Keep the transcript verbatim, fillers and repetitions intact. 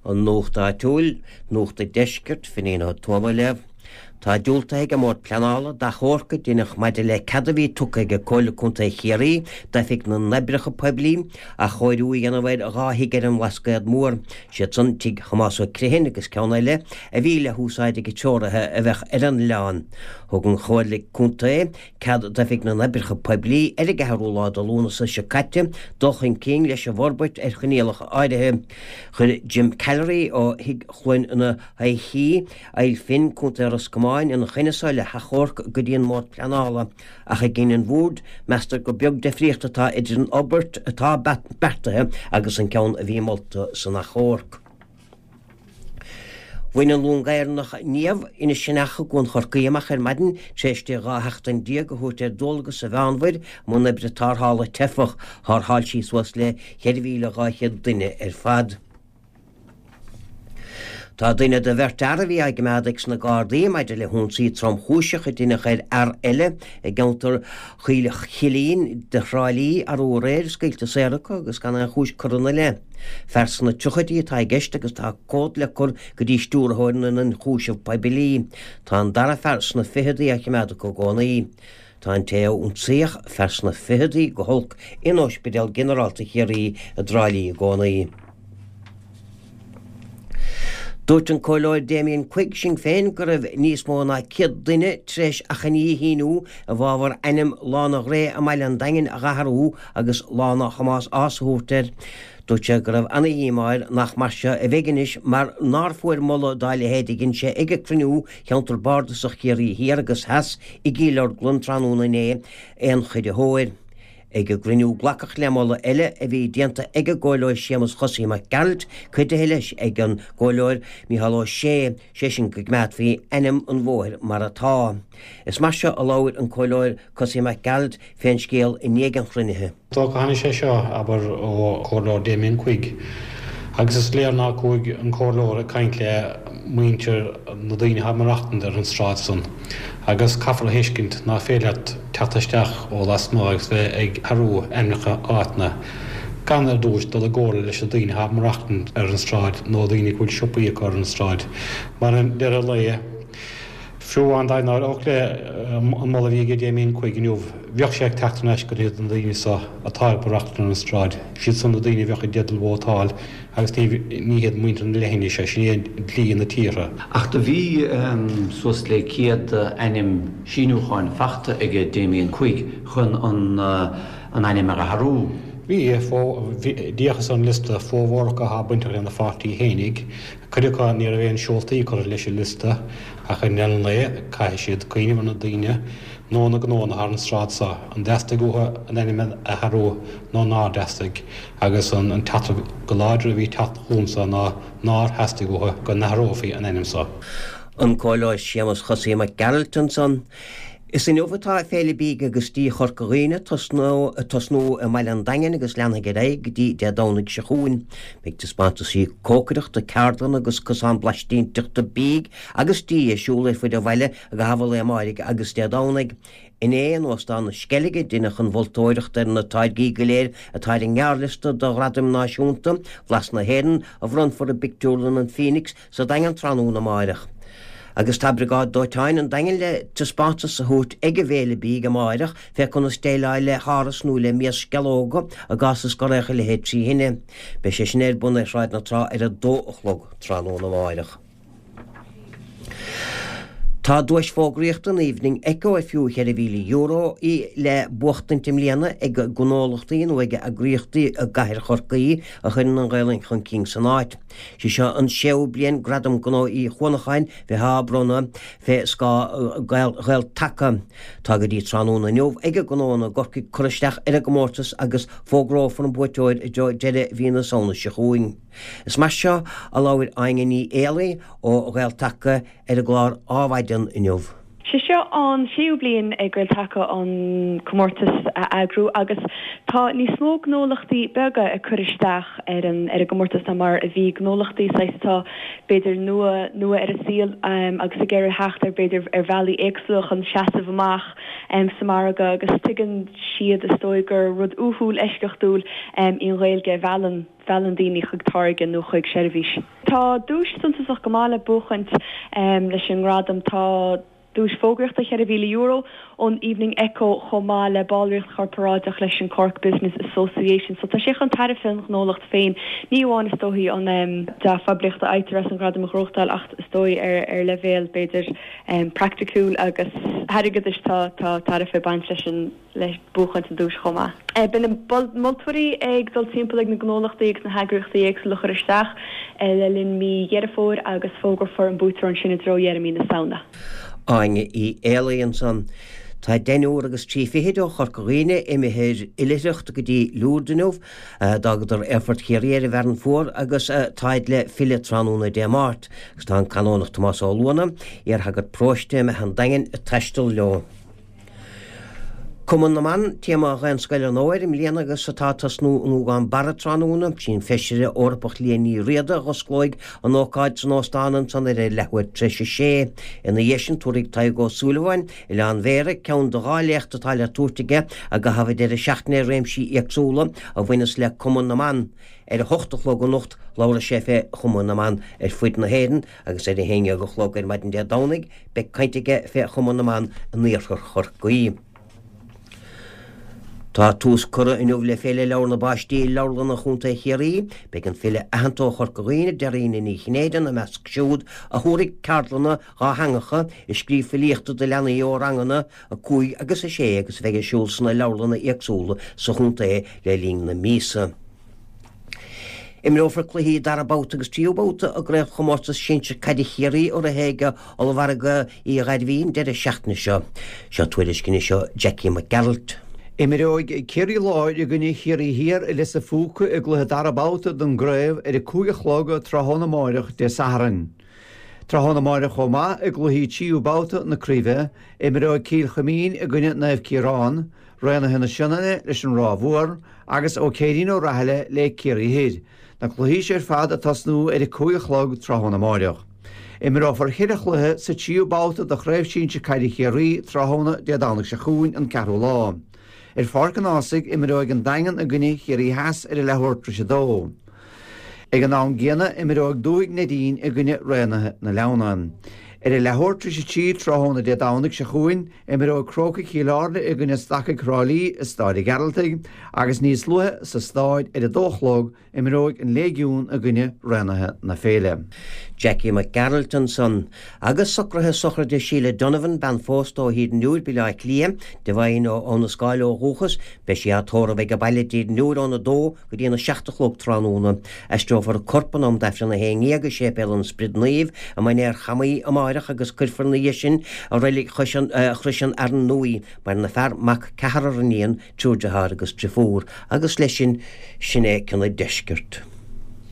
An Nuacht Áitiúil, Nuacht an Deiscirt, Finín Ó Tuama ag léamh. Tá diúltaithe ag an mBord Pleanála d'achomharc a deineadh maidir le cead a bhí tugtha ag Comhairle Contae Chiarraí d'Oifig na nOibreacha Poiblí athchóiriú a dhéanamh ar dhá thigh ar an mBlascaod Mór, siad san Tigh Thomáis Ó Criomhthain agus ceann eile a bhí le húsáid ag treoraithe a bheadh ar an oileán. Thug an Chomhairle Contae cead d'Oifig na nOibreacha Poiblí ar an gceathrú lá de Lúnasa seo caite dul chun cinn leis an bhforbairt ar choinníollacha áirithe. Chuir Jim Callery ó Thigh Chluain na hOichí, Aill Finn, Contae Ros Comáin, ina choinne seo le hachomharc go dtí an mBord Pleanála, ach i gcinneadh an Bhoird, meastar gur beag difríocht atá idir an fhorbairt atá beartaithe agus an ceann a bhí molta san achomharc. Bhain an long Éireannach Niamh, Inis Sionnach i gCuan Chorcaí amach ar maidin tar éis di dhá sheachtain déag a thabhairt ar dualgas sa Mheánmhuir i mbun oibre tarrthála teifeach. Tharrtháil sí suas le ceithre mhíle dhá chéad duine ar fad. Tá duine de bheirt fhear a bhí á gcoimeád ag sna Gardaí maidir le hionsaí tromchúiseach a deineadh ar fhear eile i gceantar Choill Chillín de Thrá Lí arú aréir scaoilte saor acu agus gan aon chúis curtha ina leith. Fear sna tríochaidí atá i gceist agus tá comhad le cur go dtí Stiúrthóir na nIonchúiseamh Poiblí. Tá an dara fear sna ficheadaí á choimeád acu i gcónaí. Tá an té a ionsaíodh, fear sna ficheadaí, go holc in Ospidéal Ginearálta Chiarraí i dTrá Lí i gcónaí. Dúirt an Comhairleoir Damien Quigg, Sinn Féin, go raibh níos mó ná céad duine tar éis achainí a shíniú i bhfabhar ainm Lána Ghréa i mbaile an Daingin a dh'athrú agus Lána Thomáis Ághas a thabhairt air. Dúirt sé go raibh ana-dhíomá air nach mar seo a bheidh anois mar nár fuair moladh dá leithéid a dhein sé ag cruinniú Cheantar Bardasach Chiarraí Thiar agus Theas i gCill Orglan tráthnóna inné aon chuiditheoir. Ag an gcruinniú glacadh le moladh eile a bhí déanta ag an gComhairleoir Séamus Chosaí Mac Gearailt, cuidithe leis ag an gComhairleoir Mícheál Ó Sé, sé sin go gcoimeádfaí ainm an bhóthair mar atá. Is mar seo a labhair an Comhairleoir Cosaí Mac Gearailt fén scéal i ndiaidh an chruinnithe. Dócha tháinig sé seo, abair, ó Chomhairleoir Damien Quigg agus is léir ná chuaigh an Comhairleoir ag caint le muintir na daoine atá ag maireachtaint ar an sráid san agus caithfear a thuiscint ná féidir leat teacht isteach ó lasmuigh agus bheith ag athrú ainmneacha áiteanna gan ar dtúis dul i gcomhairle leis na daoine atá ag maireachtaint ar an sráid nó daoine go bhfuil siopaí acu ar an sráid mar i ndeireadh an lae Fiú amháin dá n-éireodh le an moladh a bhí aige Damien Quigg inniu, bheadh sé ag teacht thar n-ais go dtí na daoine so atá ag maireachtaint ar an stráid. Siad san na daoine a bheadh i dteideal vótáil agus ní ní hiad muintir na leithinise. Sin é dlí na tíortha. Ach do bhí suas le céad ainm síniúcháin fachta aige Damien Quigg chun an an ainm a athrú. Bhí, d'fhéachas ar an liosta, formhór acu atá bainteach lena pháirtí fhéinig. Cuid acu ní raibh aon seoltaí curtha leis an liosta ach i ndeireadh an lae caithfidh siad cuimhneamh ar na daoine nó na gnóanna thar an sráid so, an dteastaigh uathu an ainm a athrú nó nár theastaigh agus an teachtaireacht go láidir a bhí ag teacht chugamsa ná nár theastaigh uathu go n-athrófaí an ainm so. An Comhairleoir Séamus Chosaí Mac Gearailt ansan. Is inniu atá Féile Bídh agus Dí Chorca Dhuibhne ag tosnú i mbaile an Daingin agus leanfaidh ar aghaidh go dtí Dé Domhnaigh seo chugainn. Beidh taispeántaisí cócaireachta, ceardlanna agus cosán blaistinteachta bídh agus dí ar siúl ar fud an bhaile i gcaitheamh an lae amáirigh agus Dé Domhnaigh. Inné in Óstán na Sceilge deineadh an mholtóireacht ar na táirgí go léir atá ar an ngearrliosta do Ghradaim Náisiúnta Bhlas na hÉireann a bhronnfar i bpictiúrlann an Phoenix sa Daingean tráthnóna amáireach. Agus tá Briogáid Dóiteáin an Daingin le taispeántas a thabhairt ag an bhFéile Bídh amáireach fé conas déileáil le háras nó le mias sceallóga i gcás is go raghadh a leithéid trí thine. Beidh sé sin ar bun ar Shráid na Trá ar a dó a chlog tráthnóna amáireach. Tá duais fógraíochta an Evening Echo ar fiú cheithre mhíle euro í le buachtaint i mbliana ag gnólachtaí nó ag eagraíochtaí i gcathair Chorcaí a chuireann an Ghaelainn chun cinn san áit. Sí seo an séú bliain Gradam Gnó Uí Chuanacháin bheith á bronnadh fé scáth Ghael-Taca. Tá go dtí tráthnóna inniu ag gnóanna i gCorcaigh cur isteach ar an gcomórtas agus fógrófar an buaiteoir i dtreo deireadh mhí na Samhna seo chugainn. Is mar seo a labhair Áine Ní Éalaí ó Ghael-Taca ar an gclár Ádhmaidean inniu. Sé seo an séú bliain ag Gael-Taca an comórtas a eagrú agus tá níos mó gnólachtaí beaga ag cur isteach ar an ar an gcomórtas ná mar a bhí, gnólachtaí saghas atá b'fhéidir nua nua ar an saol agus ag iarraidh theacht ar b'fhéidir ar bhealaí éagsúla chun seasamh amach sa margadh agus tuigeann siad is dóigh gur rud uathúil eisceachtúil í an Ghaeilge a mheallann. mheallann daoine chuig táirge nó chuig seirbhís. Tá duais suntasach go maith le buachaint leis an ngradam. Tá duais fógraíochta cheithre mhíle euro ón Evening Echo chomh maith le ballraíocht chorparáideach leis an Cork Business Association. So tá sé chun tairbhe don ghnólacht féin, ní amháin is dóichí an dea-phoiblíocht a fhaightear as an ghradam a ghnóthachtáil ach is dóigh ar ar leibhéal b'fhéidir praiticiúil agus airgeadais tá tá tairbhe ag baint leis an le buachaint an duais chomh maith. Beidh na moltóirí ag dul timpeall ag na gnólachtaí agus na heagraíochtaí éagsúla a chur isteach le linn mí Dheireadh Fómhair agus fógrófar an buaiteoir ansin i dtreo dheireadh mí na Samhna. Áine Uí Éalaí ansan. Tá deichniúr agus trí fichid ó Chorca Dhuibhne imithe ar oilithreacht go dtí Lourdes inniu. D'fhágadar Aerfort Chiarraí ar an bhFearann Fuar agus táid le filleadh tráthnóna Dé Máirt agus tá an Canónach Tomás Ó Luana, iarshagart paróiste i mBeatha an Daingin, ag taisteal leo. Cumann na mBan, téama Dhaonscoil an Fhómhair i mbliana agus atá ag tosnú i nGúgán Barra tráthnóna. Sí an Feisire Eorpach Liadh Ní Riada a dh'osclóidh an ócáid san óstán ansan ar a leathuair tar éis a sé. Ina dhiaidh sin tabharfaidh Tadhg Ó Súilleabháin, Oileán Bhéarra, ceann de dhá léacht atá le tabhairt aige i gcaitheamh an deireadh seachtaine ar réimsí éagsúla a bhaineas le Cumann na mBan. Ar a hocht a chlog anocht labhróidh sé fé Chumann na mBan ar fuid na hÉireann agus ar a haon dhéag a chlog ar maidin Dé Domhnaigh beidh caint aige fé Chumann na mBan in Iarthar Chorcaí. Tá tús curtha inniu le Féile Leabhar na bPáistí i Leabharlanna Chontae Chiarraí. Beidh an file aitheanta ó Chorca Dhuibhne, Dairena Ní Chinnéide, ina measc siúd a thabharfaidh ceardlanna dhátheangacha i scríobh filíochta do leanaí ó ranganna a cúig agus a sé agus a bheidh ar siúl sna leabharlanna éagsúla sa chontae le linn na míosa. Imreofar cluichí dara babhta agus tríú babhta i gCraobhchomórtas Sinsir Caide Chiarraí a rith ag Ollmhargadh Uí Ghairbhí an deireadh seachtaine seo. Seo tuairisc anois ó Jackie Mac Gearailt. Imreoidh Ciarraí Láir i gcoinne Chiarraí Thiar i Lios a' Phúca i gcluiche dara babhta den gcraobh ar a cúig a chlog tráthnóna amáireach Dé Sathairn. Tráthnóna amáireach chomh maith i gcluichí tríú babhta na craoibhe, imreoidh Cill Chuimín i gcoinne Naomh Ciarán, Raonaithe na Sionainne leis an Ráth Mhór agus Ó Céirín Ó Rathaille le Ciarraí Thoir, na cluichí seo ar fad ag tosnú ar a cúig a chlog tráthnóna amáireach. Imreofar cheithre chluiche sa tríú babhta de Chraobh Sinsir Caide Chiarraí tráthnóna Dé Domhnaigh seo chugainn, an ceathrú lá. Ar Pháirc an Ághasaigh, imreoidh an Daingean i gcoinne Chiarraí Theas ar a leathuair tar éis a dó. Ag an am gcéanna, imreoidh Dúthaigh Neidín i gcoinne Raonaithe na Leamhna. Ar a leathuair tar éis a trí tráthnóna Dé Domhnaigh seo chugainn, imreoidh Crócaigh Chill Airne i gcoinne Stacaigh Thrá Lí i Stáid an Ghearaltaigh agus níos luaithe sa stáid ar a dó a chlog, imreoidh an Léigiún i gcoinne Raonaithe na Féile. Jackie Mac Gearailt ansan. Agus socruithe sochraide Sheila Donovan, bean phósta ó Thír an Iúir, Baile Átha Cliath, de Mhaigh ó Abha na Scáil ó dhúchas, beidh sí á tórramh ag an baile i dTír an Iúir óna dó go dtí an a seacht a chlog tráthnóna. Aistreofar a corp in am d'Aifreann a haon dhéag i Séipéal an Sprid Naoimh i Mainéar Chamaí amáireach agus cuirfear ina dhiaidh sin i Reilig Chrois an Fhearainn Nua í. Maireann a fear, mac, ceathrar iníon, triúr dearthár agus driofúr. Agus leis sin, sin é cionn an deiscirt.